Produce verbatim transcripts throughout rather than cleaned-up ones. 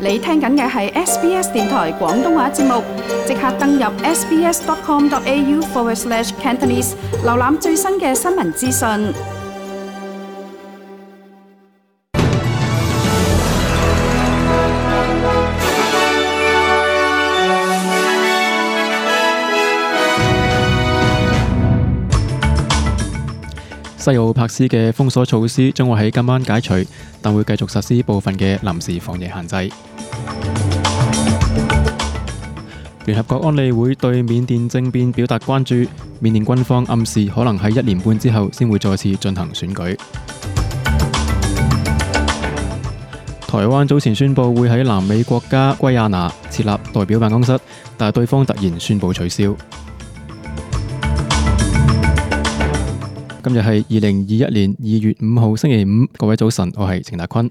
你聽緊嘅係 S B S 電台廣東話節目，即刻登入 sbs.com.au forward slash Cantonese， 瀏覽最新嘅新聞資訊。西澳柏斯嘅封鎖措施將會喺今晚解除，但會繼續實施部分嘅臨時防疫限制。聯合國安理會對緬甸政變表達關注，緬甸軍方暗示可能喺一年半之後先會再次進行選舉。台灣早前宣布會喺南美國家圭亞那設立代表辦公室，但係對方突然宣布取消。今日係二零二一年二月五號星期五，各位早晨，我係程達坤。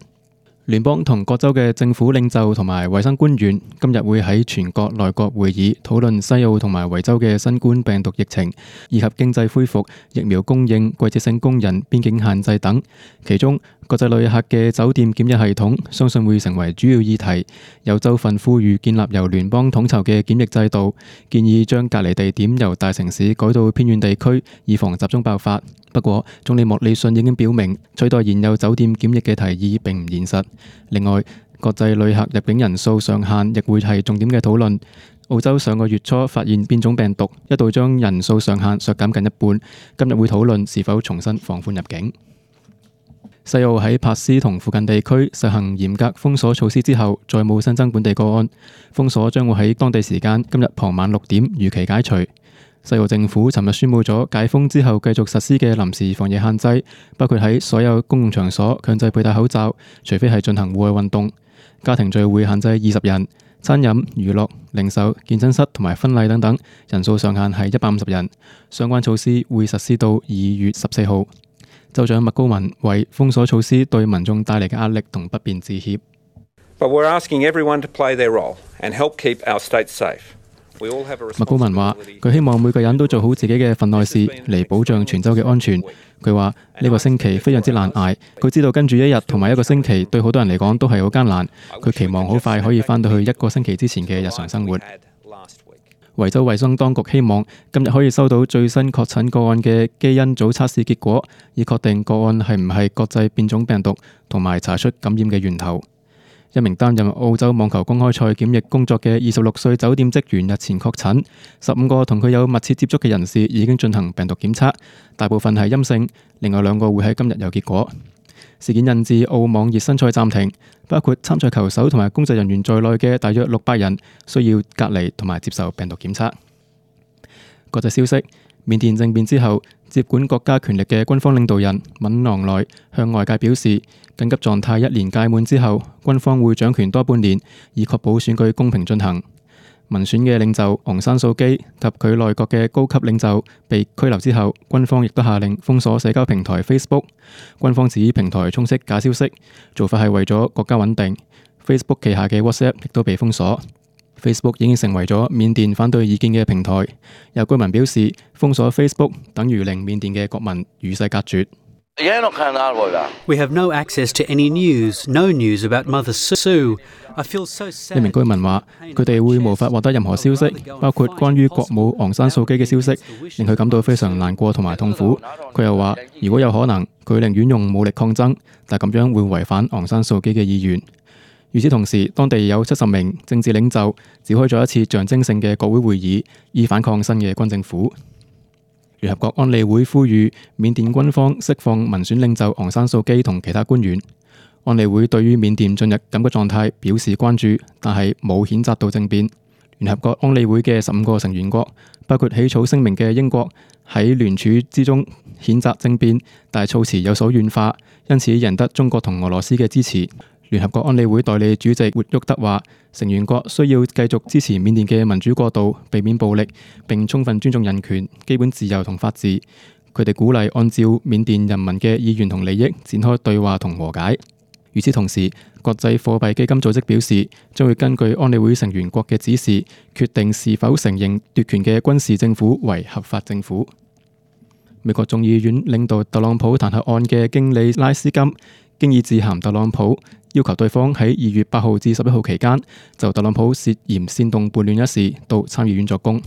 聯邦同各州嘅政府領袖同埋衛生官員今日會喺全國內閣會議討論西澳同埋維州嘅新冠病毒疫情，以及經濟恢復、疫苗供應、季節性工人、邊境限制等。其中，國際旅客嘅酒店檢疫系統相信會成為主要議題。有州份呼籲建立由聯邦統籌嘅檢疫制度，建議將隔離地點由大城市改到偏遠地區，以防集中爆發。不過，總理莫里遜已經表明，取代現有酒店檢疫嘅提議並唔現實。另外，國際旅客入境人數上限亦會係重點嘅討論。澳洲上個月初發現變種病毒，一度將人數上限削減近一半。今日會討論是否重新放寬入境。西澳喺柏斯同附近地區實行嚴格封鎖措施之後，再冇新增本地個案。封鎖將會喺當地時間今日傍晚六點如期解除。西澳政府尋日宣布咗解封之後繼續實施嘅臨時防疫限制，包括喺所有公共場所強制佩戴口罩，除非係進行戶外運動。家庭聚會限制二十人，餐飲、娛樂、零售、健身室同埋婚禮等等，人數上限係一百五十人。相關措施會實施到二月十四號。州長麥高文為封鎖措施對民眾帶嚟嘅壓力同不便致歉。But we're asking everyone to play their role and help keep our state safe.麥高文話：佢希望每個人都做好自己嘅份內事，嚟保障全州嘅安全。佢話呢個星期非常之難捱，佢知道跟住一日同埋一個星期對好多人嚟講都係好艱難。佢期望好快可以返到去一個星期之前嘅日常生活。維州衛生當局希望今日可以收到最新確診個案嘅基因組測試結果，以確定個案係唔係國際變種病毒，同埋查出感染嘅源頭。一名擔任澳洲網球公開賽檢疫工作嘅二十六歲酒店職員日前確診，十五個同佢有密切接觸嘅人士已經進行病毒檢測，大部分係陰性，另外兩個會喺今日有結果。事件引致澳網熱身賽暫停，包括參賽球手同埋工作人員在內嘅大約六百人需要隔離同埋接受病毒檢測。國際消息：緬甸政變之後，接管國家權力嘅軍方領導人敏昂萊向外界表示，緊急狀態一年屆滿之後，軍方會掌權多半年，以確保選舉公平進行。民選嘅領袖昂山素基及佢內閣嘅高級領袖被拘留之後，軍方亦都下令封鎖社交平台 Facebook。軍方指平台充斥假消息，做法係為咗國家穩定。Facebook 旗下嘅 WhatsApp 亦都被封鎖。Facebook 已經成為咗緬甸反對意見嘅平台。有居民表示，封鎖 Facebook 等於令緬甸嘅國民與世隔絕。We have no access to any news, no news about Mother Sue. I feel so sad. 一名居民話：佢哋會無法獲得任何消息，包括關於國母昂山素基嘅消息，令佢感到非常難過同埋痛苦。佢又話：如果有可能，佢寧願用武力抗爭，但咁樣會違反昂山素基嘅意願。與此同時，當地有七十名政治領袖召開咗一次象徵性嘅國會會議，以反抗新嘅軍政府。聯合國安理會呼籲緬甸軍方釋放民選領袖昂山素基同其他官員。安理會對於緬甸進入緊急狀態表示關注，但係冇譴責到政變。聯合國安理會嘅十五個成員國，包括起草聲明嘅英國，喺聯署之中譴責政變，但係措辭有所軟化，因此贏得中國同俄羅斯嘅支持。聯合國安理會代理主席活沃德話，成員國需要繼續支持緬甸嘅民主過渡，避免暴力，並充分尊重人權、基本自由同法治。佢哋鼓勵按照緬甸人民嘅意願同利益展開對話同和解。與此同時，國際貨幣基金組織表示，將會根據安理會成員國嘅指示，決定是否承認奪權嘅軍事政府為合法政府。美國眾議院領導特朗普彈劾案嘅經理拉斯金經已致函特朗普，要求對方喺二月八號至十一號期間就特朗普涉嫌煽動叛亂一事到參議院作供。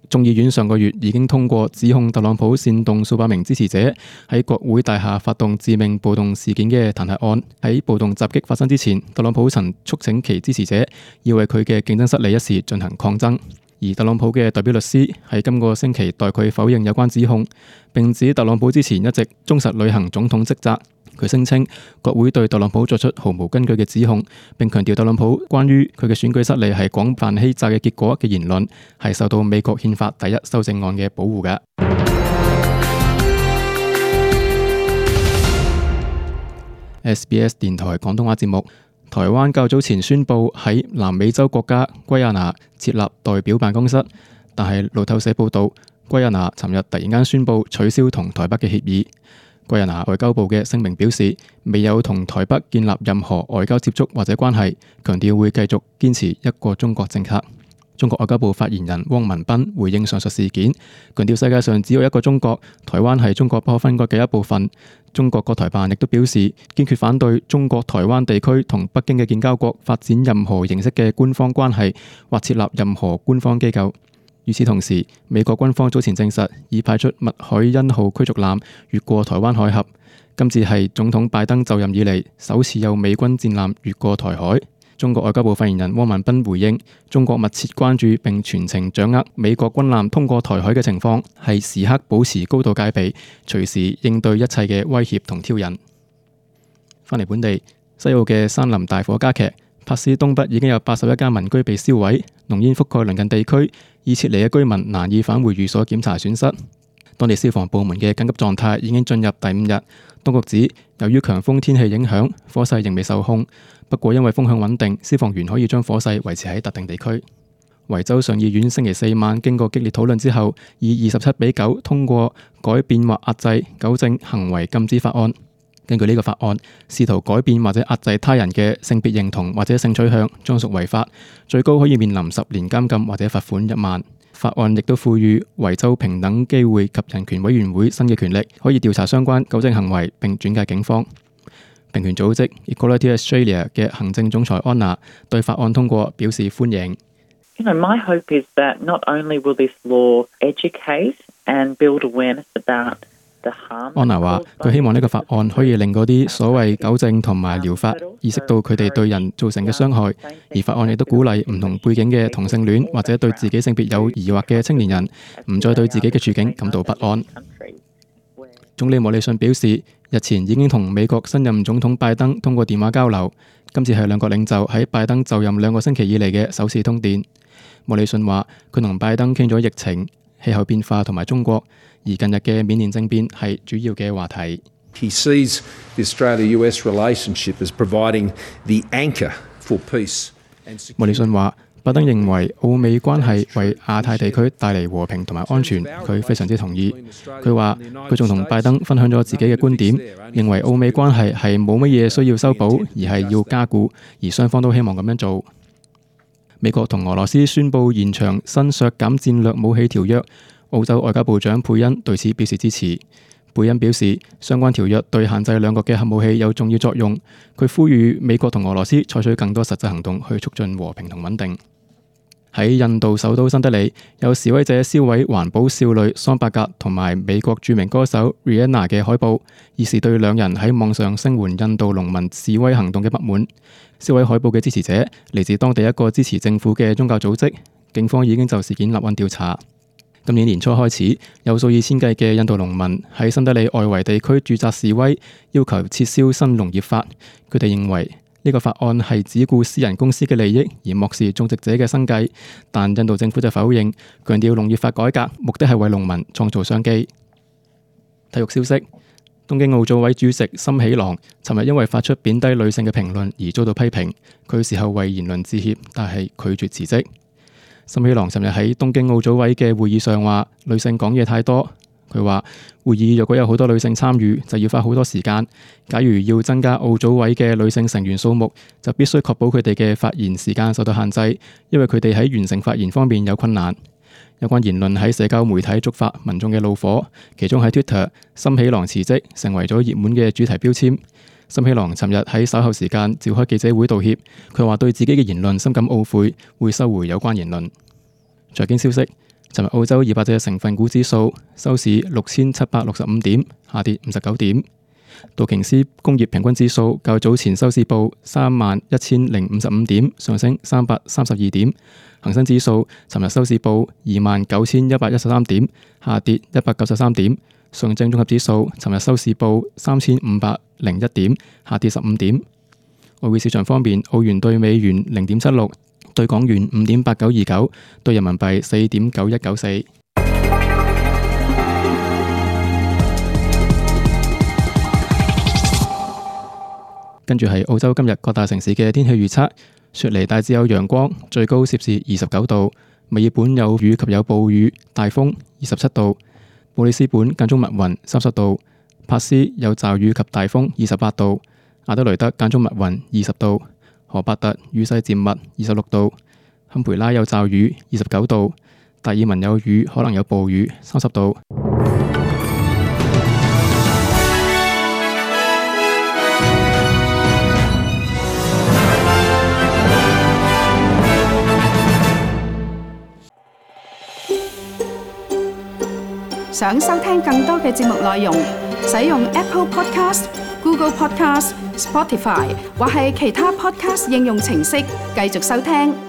眾議院上個月已經通過指控特朗普煽動數百名支持者喺國會大廈發動致命暴動事件嘅彈劾案。喺暴動襲擊發生之前，特朗普曾促請其支持者要為佢嘅競爭失利一事進行抗爭。而特朗普嘅代表律師喺今個星期代佢否認有關指控，並指特朗普之前一直忠實履行總統職責。佢聲稱國會對特朗普作出毫無根據嘅指控，並強調特朗普關於佢嘅選舉失利係廣泛欺詐嘅結果嘅言論係受到美國憲法第一修正案嘅保護嘅。S B S 電台廣東話節目。台灣較早前宣布喺南美洲國家圭亞那設立代表辦公室，但係路透社報道，圭亞那尋日突然間宣布取消同台北嘅協議。圭亞那外交部嘅聲明表示，未有同台北建立任何外交接觸或者關係，強調會繼續堅持一個中國政策。中國外交部發言人汪文斌回應上述事件，強調世界上只有一個中國，台灣係中國不可分割嘅一部分。中國國台辦亦都表示堅決反對中國台灣地區同北京嘅建交國發展任何形式嘅官方關係或設立任何官方機構。與此同時，美國軍方早前證實已派出麥凱恩號驅逐艦越過台灣海峽，今次係總統拜登就任以嚟首次有美軍戰艦越過台海。中國外交部發言人汪文斌回應，中國密切關注並全程掌握美國軍艦通過台海嘅情況，係時刻保持高度戒備，隨時應對一切嘅威脅同挑釁。翻嚟本地，西澳嘅山林大火加劇，柏斯東北已經有八十一間民居被燒毀，濃煙覆蓋鄰近地區，已撤離嘅居民難以返回寓所檢查損失。當地消防部門嘅緊急狀態已經進入第五日。當局指，由於強風天氣影響，火勢仍未受控。不過因為風向穩定，消防員可以將火勢維持喺特定地區。維州上議院星期四晚經過激烈討論之後，以二十七比九通過改變或壓制糾正行為禁止法案。根據呢個法案，試圖改變或者壓制他人嘅性別認同或者性取向將屬違法，最高可以面臨十年監禁或者罰款一萬。法案亦都賦予維州平等機會及人權委員會新嘅權力，可以調查相關糾正行為並轉介警方。平權組織 Equality Australia 嘅行政總裁安娜對法案通過表示歡迎。You know, my hope is that not only will this law educate and build awareness about the harm. 安娜話：佢希望呢個法案可以令嗰啲所謂糾正同埋療法意識到佢哋對人造成嘅傷害，而法案亦都鼓勵唔同背景嘅同性戀或者對自己性別有疑惑嘅青年人唔再對自己嘅處境感到不安。總理莫里遜表示，日前已經同美國新任總統拜登通過電話交流，今次係兩國領袖喺拜登就任兩個星期以嚟嘅首次通電。莫里遜話，佢同拜登傾咗疫情、氣候變化同埋中國，而近日嘅緬甸政變係主要嘅話題。He sees the Australia-U S relationship as providing the anchor for peace and security. 莫里遜話，拜登認為澳美關係為亞太地區帶嚟和平同埋安全，佢非常之同意。佢話佢仲同拜登分享咗自己嘅觀點，認為澳美關係係冇乜嘢需要修補，而係要加固，而雙方都希望咁樣做。美國同俄羅斯宣布延長新削減戰略武器條約，澳洲外交部長佩恩對此表示支持。貝恩表示，相關條約對限制兩國嘅核武器有重要作用。佢呼籲美國同俄羅斯採取更多實際行動去促進和平同穩定。喺印度首都新德里，有示威者燒毀環保少女桑伯格同埋美國著名歌手 Rihanna 嘅海報，以示對兩人喺網上聲援印度農民示威行動嘅不滿。燒毀海報嘅支持者嚟自當地一個支持政府嘅宗教組織，警方已經就事件立案調查。今年年初開始，有數以千計嘅印度農民喺新德里外圍地區駐紮示威，要求撤銷新農業法。佢哋認為呢個法案係只顧私人公司嘅利益，而漠視種植者嘅生計。但印度政府就否認，強調農業法改革目的係為農民創造商機。體育消息：東京奧組委主席森喜朗尋日因為發出貶低女性嘅評論而遭到批評，佢事後為言論致歉，但係拒絕辭職。森喜朗尋日喺東京奧組委嘅會議上話，女性講嘢太多。佢話會議若果有好多女性參與，就要花好多時間。假如要增加奧組委嘅女性成員數目，就必須確保佢哋嘅發言時間受到限制，因為佢哋喺完成發言方面有困難。有關言論喺社交媒體觸發民眾嘅怒火，其中喺 Twitter， 森喜朗辭職成為咗熱門嘅主題標籤。森喜朗尋日喺稍後時間召開記者會道歉，佢話對自己嘅言論深感懊悔，會收回有關言論。財經消息，尋日澳洲二百隻成分股指數收市六千七百六十五點，下跌五十九點。道瓊斯工業平均指數較早前收市報三萬一千零五十五點，上升三百三十二點。恒生指數尋日收市報二萬九千一百一十三點，下跌一百九十三點。上證綜合指數尋日收市報三千五百零一點，下跌十五點。外匯市場方面，澳元對美元零點七六，對港元五點八九二九，對人民幣四點九一九四。跟住係澳洲今日各大城市嘅天氣預測：雪梨大致有陽光，最高攝氏二十九度；墨爾本有雨及有暴雨，大風，二十七度；布里斯本間中密雲，三十度；珀斯有驟雨及大風，二十八度；阿德雷德間中密雲，二十度；荷伯特雨勢漸密，二十六度；堪培拉有驟雨，二十九度；達爾文有雨，可能有暴雨，三十度。想收聽更多嘅節目內容，使用 Apple Podcast、Google Podcast、Spotify 或係其他 Podcast 應用程式繼續收聽。